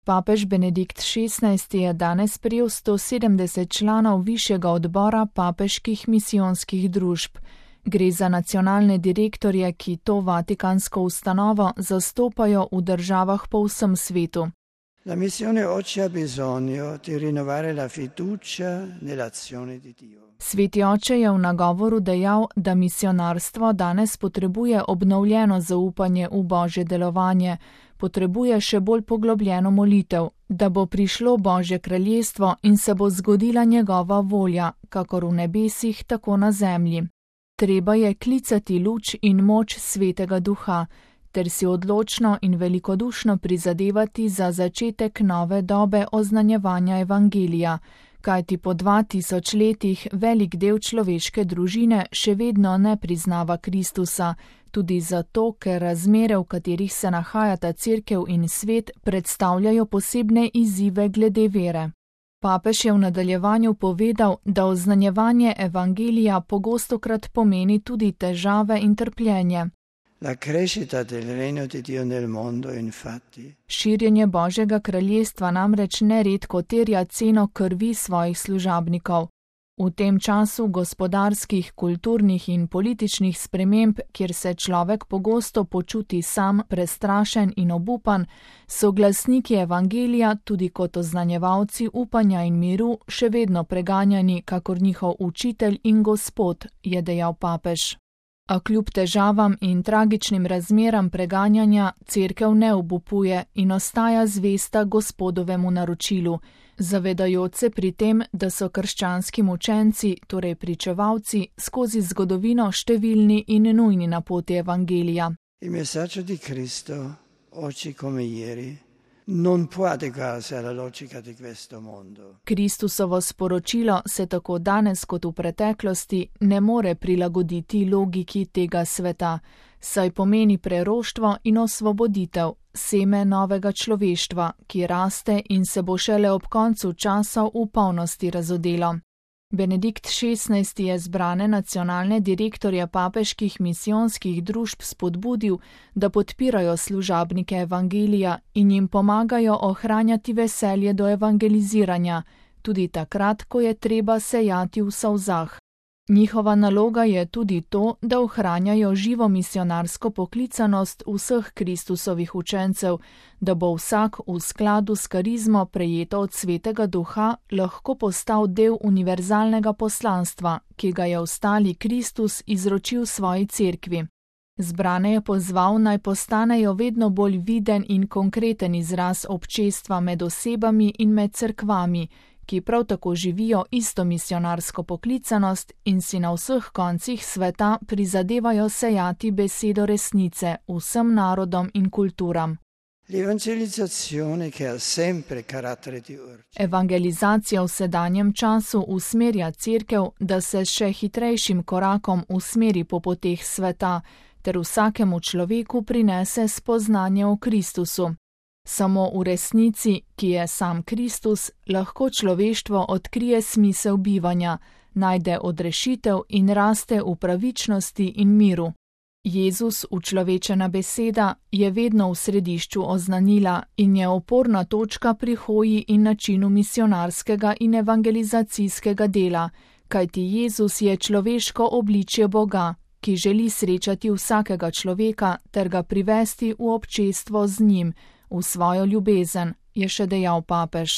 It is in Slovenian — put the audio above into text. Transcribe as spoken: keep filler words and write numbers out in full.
Papež Benedikt šestnajsti je danes prijel sto sedemdeset članov višjega odbora papeških misijonskih družb. Gre za nacionalne direktorje, ki to vatikansko ustanovo zastopajo v državah po vsem svetu. La missione oggi ha bisogno di rinnovare la fiducia nell'azione di Dio. Sveti oče je v nagovoru dejal, da misionarstvo danes potrebuje obnovljeno zaupanje v Božje delovanje, potrebuje še bolj poglobljeno molitev, da bo prišlo Božje kraljestvo in se bo zgodila njegova volja, kakor v nebesih, tako na zemlji. Treba je klicati luč in moč Svetega Duha, ter si odločno in velikodušno prizadevati za začetek nove dobe oznanjevanja evangelija, kajti po dva tisoč letih velik del človeške družine še vedno ne priznava Kristusa, tudi zato, ker razmere, v katerih se nahajata cerkev in svet, predstavljajo posebne izzive glede vere. Papež je v nadaljevanju povedal, da oznanjevanje evangelija pogostokrat pomeni tudi težave in trpljenje. La crescita del regno di Dio nel mondo, infatti. Širjenje Božjega kraljestva namreč neredko terja ceno krvi svojih služabnikov. V tem času gospodarskih, kulturnih in političnih sprememb, kjer se človek pogosto počuti sam, prestrašen in obupan, so glasniki evangelija tudi kot oznanjevalci upanja in miru še vedno preganjani kakor njihov učitelj in gospod, je dejal papež. A kljub težavam in tragičnim razmeram preganjanja cerkev ne obupuje in ostaja zvesta Gospodovemu naročilu, zavedajoč se pri tem, da so krščanski mučenci, torej pričevalci, skozi zgodovino številni in nujni na poti evangelija. Il messaggio di Cristo, oggi come ieri, non può adeguarsi alla logica di questo mondo. Kristusovo sporočilo se tako danes kot v preteklosti ne more prilagoditi logiki tega sveta, saj pomeni preroštvo in osvoboditev, seme novega človeštva, ki raste in se bo šele ob koncu časov v polnosti razodelo. Benedikt šestnajsti je zbrane nacionalne direktorje papeških misijonskih družb spodbudil, da podpirajo služabnike evangelija in jim pomagajo ohranjati veselje do evangeliziranja, tudi takrat, ko je treba sejati v solzah. Njihova naloga je tudi to, da ohranjajo živo misionarsko poklicanost vseh Kristusovih učencev, da bo vsak v skladu s karizmo prejeto od Svetega Duha lahko postal del univerzalnega poslanstva, ki ga je ostali Kristus izročil svoji cerkvi. Zbrane je pozval, naj postanejo vedno bolj viden in konkreten izraz občestva med osebami in med cerkvami, ki prav tako živijo isto misionarsko poklicanost in si na vseh koncih sveta prizadevajo sejati besedo resnice vsem narodom in kulturam. L'evangelizzazione che ha sempre carattere di urgenza. Evangelizacija v sedanjem času usmerja cerkev, da se s še hitrejšim korakom usmeri po poteh sveta, ter vsakemu človeku prinese spoznanje o Kristusu. Samo v resnici, ki je sam Kristus, lahko človeštvo odkrije smisel bivanja, najde odrešitev in raste v pravičnosti in miru. Jezus, učlovečena beseda, je vedno v središču oznanila in je oporna točka pri hoji in načinu misionarskega in evangelizacijskega dela, kajti Jezus je človeško obličje Boga, ki želi srečati vsakega človeka ter ga privesti v občestvo z njim, v svojo ljubezen, je še dejal papež.